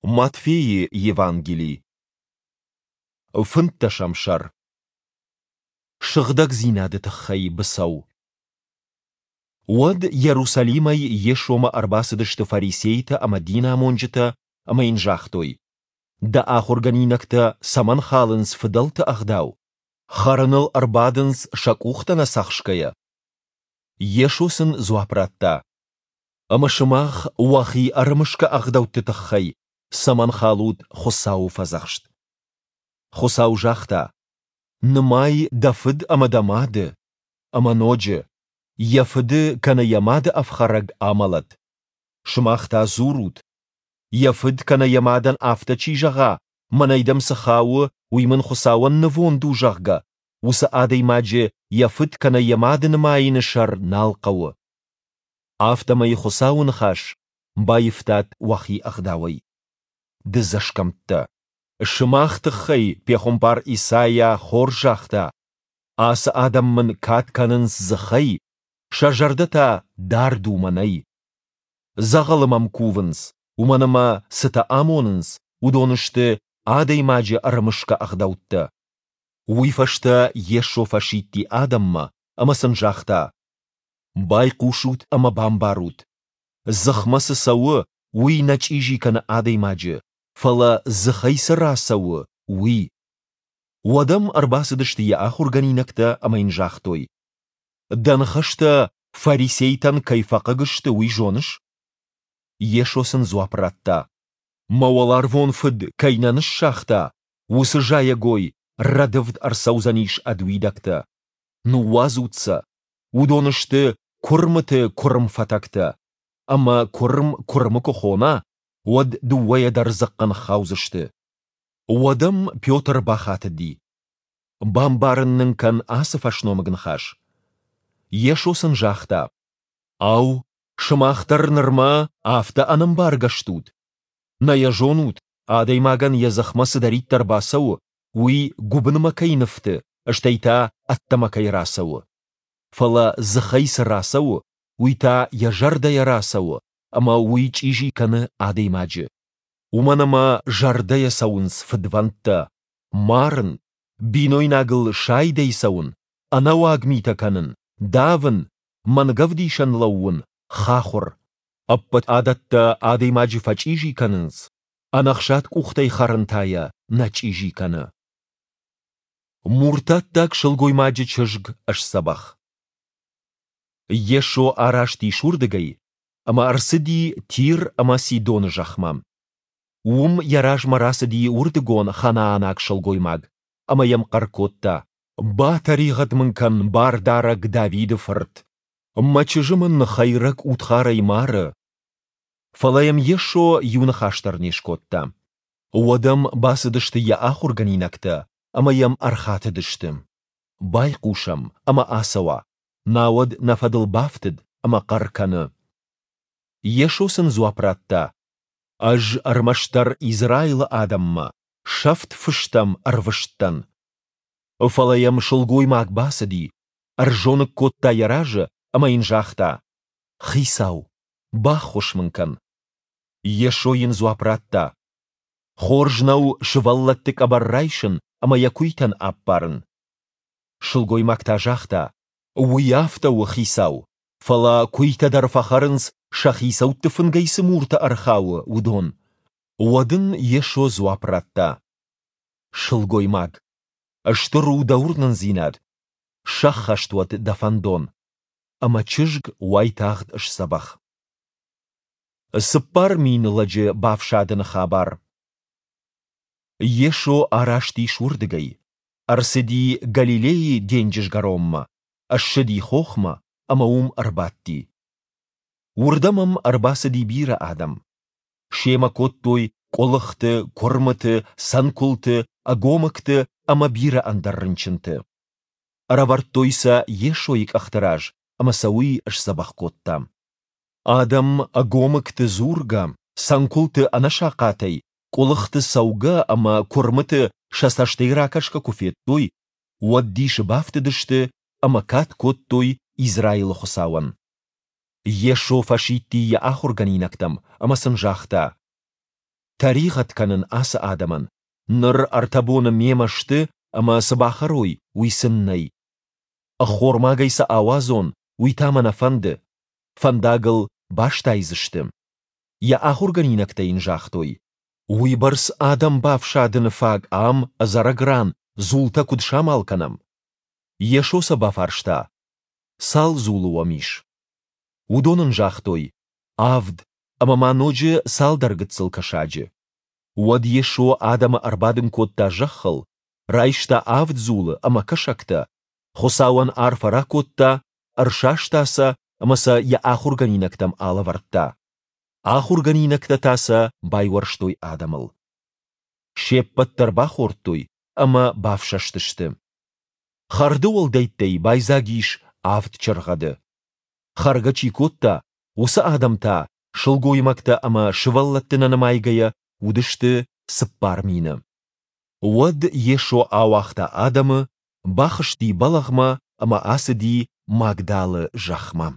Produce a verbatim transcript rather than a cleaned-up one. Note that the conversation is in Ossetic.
Матфейы Евангели. Фынддӕсӕм сӕр. Сыгъдӕгдзинады тыххӕй быцӕу. Уӕд Иерусалимӕй Йесомӕ ӕрбацыдысты фарисейтӕ ӕмӕ динамонджытӕ ӕмӕ йын загътой: Дӕ ахуыргӕнинӕгтӕ цӕмӕн халынц фыдӕлты ӕгъдау? Хӕрыныл ӕрбадынц, сӕ къухтӕ нӕ цӕхсгӕйӕ. Йесо сын дзуапп радта: Ӕмӕ сымах уӕхи ӕрымысгӕ ӕгъдӕутты тыххӕй цӕмӕн халут Хуыцауы фӕдзӕхст? Хуыцау загъта: Нымай дӕ фыд ӕмӕ дӕ мады. Ӕмӕ ноджы: Йӕ фыды кӕнӕ йӕ мады ӕфхӕрӕг амӕлӕд. Сымах та дзурут: Йӕ фыд кӕнӕ йӕ мадӕн афтӕ чи зӕгъа, мӕнӕй дӕм цы хауы, уый мын Хуыцауӕн нывонд у, зӕгъгӕ, уыцы адӕймаджы йӕ фыд кӕнӕ йӕ мады нымайыны сӕр нал хъӕуы. Афтӕмӕй Хуыцауы ныхас баивтат уӕхи ӕгъдауӕй. Дыдзӕсгӕмттӕ! Сымах тыххӕй пехуымпар Исайа хорз загъта: Ацы адӕм мын кад кӕнынц дзыхӕй, сӕ зӕрдӕ та дард у мӕнӕй. Дзӕгъӕлы мӕм кувынц, уымӕн ӕмӕ цытӕ амонынц, уыдон сты адӕймаджы ӕрымысгӕ ӕгъдӕуттӕ. Уый фӕстӕ Йесо фӕсидти адӕммӕ ӕмӕ сын загъта: Байхъусут ӕмӕ бамбарут. Дзыхмӕ цы цӕуы, уый нӕ чъизи кӕны адӕймаджы, фӕлӕ дзыхӕй цы рацӕуы, уый. Уӕд ӕм ӕрбацыдысты йӕ ахуыргӕнинӕгтӕ ӕмӕ йын загътой: Дӕ ныхӕстӕ фарисейтӕн кӕй фӕхъыг сты, уый зоныс? Йесо сын дзуапп радта: Мӕ уӕларвон Фыд кӕй нӕ ныссагъта, уыцы зайӕгой рӕдывд ӕрцӕудзӕнис ӕд уидӕгтӕ. Ныууадзут сӕ. Уыдон сты куырмыты куырм фӕтӕгтӕ. Ӕмӕ куырм куырмы куы хона, уӕд дыууӕйӕ дӕр дзыхъхъы ныххаудзысты. Уӕд ӕм Петр бахатыди: Бамбарын нын кӕн ацы фӕсномыг ныхас. Йесо сын загъта: Ау, сымах дӕр нырма афтӕ ӕнӕмбаргӕ стут? Нӕ йӕ зонут, адӕймагӕн йӕ дзыхмӕ цыдӕриддӕр бацӕуы, уый гуыбынмӕ кӕй ныфты, стӕй та ӕддӕмӕ кӕй рацӕуы? Фӕлӕ дзыхӕй цы рацӕуы, уый та йӕ зӕрдӕйӕ рацӕуы, ӕмӕ уый чъизи кӕны адӕймаджы. Уымӕн ӕмӕ зӕрдӕйӕ цӕуынц фыдвӕндтӕ, марын, бинойнагыл сайдӕй цӕуын, ӕнӕуаг митӕ кӕнын, давын, мӕнгӕвдисӕн лӕууын, хахуыр. Ӕппӕт адӕттӕ адӕймаджы фӕчъизи кӕнынц, ӕнӕхсад къухтӕй хӕрын та йӕ нӕ чъизи кӕны. Муртаттаг сылгоймаджы чызг сдзӕбӕх. Йесо араст ис уырдыгӕй ӕмӕ ӕрцыди Тир ӕмӕ Сидоны зӕхмӕ. Уым йӕ размӕ рацыди уырдыгон ханаанаг сылгоймаг ӕмӕ йӕм хъӕр кодта: Батӕригъӕд мын кӕн, Бардарӕг Давиды фырт! Мӕ чызджы мын хӕйрӕг удхарӕй мары. Фӕлӕ йӕм Йесо иу ныхас дӕр не скодта. Уӕд ӕм бацыдысты йӕ ахуыргӕнинӕгтӕ ӕмӕ йӕм ӕрхатыдысты: Байхъус ӕм ӕмӕ ацӕуа, науӕд нӕ фӕдыл бафтыд ӕмӕ хъӕр кӕны. Йесо сын дзуапп радта: Ӕз ӕрмӕстдӕр Израилы адӕммӕ, сӕфт фыстӕм ӕрвыст дӕн. Фӕлӕ йӕм сылгоймаг бацыди, ӕрзоныг кодта йӕ разы ӕмӕ йын загъта: Хицау, баххуыс мын кӕн. Йесо йын дзуапп радта: Хорз нӕу сывӕллӕтты къӕбӕр райсын ӕмӕ йӕ куыйтӕн аппарын. Сылгоймаг та загъта: Уый афтӕ у, Хицау, фӕлӕ куыйтӕ дӕр фӕхӕрынц, сӕ хицӕутты фынгӕй цы муртӕ ӕрхауы, уыдон. Уӕд ын Йесо дзуапп радта: Сылгоймаг, стыр у дӕ уырнындзинад, сӕххӕст уӕд дӕ фӕндон. Ӕмӕ чызг уайтагъд сдзӕбӕх. Цыппар мин лӕджы бафсадыны хабар. Йесо араст ис уырдыгӕй, ӕрцыди Галилейы денджызгӕронмӕ, ссыди хохмӕ ӕмӕ уым ӕрбадти. Уырдӕм ӕм ӕрбацыди бирӕ адӕм. Семӕ кодтой къуылыхты, куырмыты, цӕнкуылты, ӕгомыгты ӕмӕ бирӕ ӕндӕр рынчынты. Ӕрӕвӕрдтой сӕ Йесойы къӕхты раз, ӕмӕ сӕ уый сдзӕбӕх кодта. Адӕм ӕгомыгты дзургӕ, цӕнкуылты ӕнӕсахъатӕй, къуылыхты цӕугӕ ӕмӕ куырмыты сӕ цӕстӕй ракӕсгӕ куы федтой, уӕд дисы бафтыдысты ӕмӕ кад кодтой Израилы Хуыцауӕн. Йесо фӕсидти йӕ ахуыргӕнинӕгтӕм ӕмӕ сын загъта: Тӕригъӕд кӕнын ацы адӕмӕн, ныр ӕртӕ боны мемӕ сты ӕмӕ цы бахӕрой, уый сын нӕй. Ӕххормагӕй сӕ ауадзон, уый та мӕ нӕ фӕнды. Фӕндагыл бастайдзысты. Йӕ ахуыргӕнинӕгтӕ йын загътой: Уыйбӕрц адӕм бафсадыны фаг ам, ӕдзӕрӕг ран, дзултӕ куыд самал кӕнӕм? Йесо сӕ бафарста: Цал дзулы уӕм ис? Уыдон ын загътой: Авд, ӕмӕ ма ноджы цалдӕр гыццыл кӕсаджы. Уӕд Йесо адӕмы ӕрбадын кодта зӕххыл, райста авд дзулы ӕмӕ кӕсӕгтӕ, Хуыцауӕн арфӕ ракодта, ӕрсаста сӕ ӕмӕ сӕ йӕ ахуыргӕнинӕгтӕм алӕвӕрдта. Ахуыргӕнинӕгтӕ та сӕ байуӕрстой адӕмыл. Се ппӕт дӕр бахордтой ӕмӕ бафсӕстысты. Хӕрды уӕлдӕйттӕй байдзаг ис авд чыргъӕды. Хӕргӕ чи кодта, уыцы адӕм та, сылгоймӕгтӕ ӕмӕ сывӕллӕтты нӕ нымайгӕйӕ, уыдысты цыппар мины. Уӕд Йесо ауагъта адӕмы, бахызти бӕлӕгъмӕ ӕмӕ ацыди Магдалы зӕхмӕ.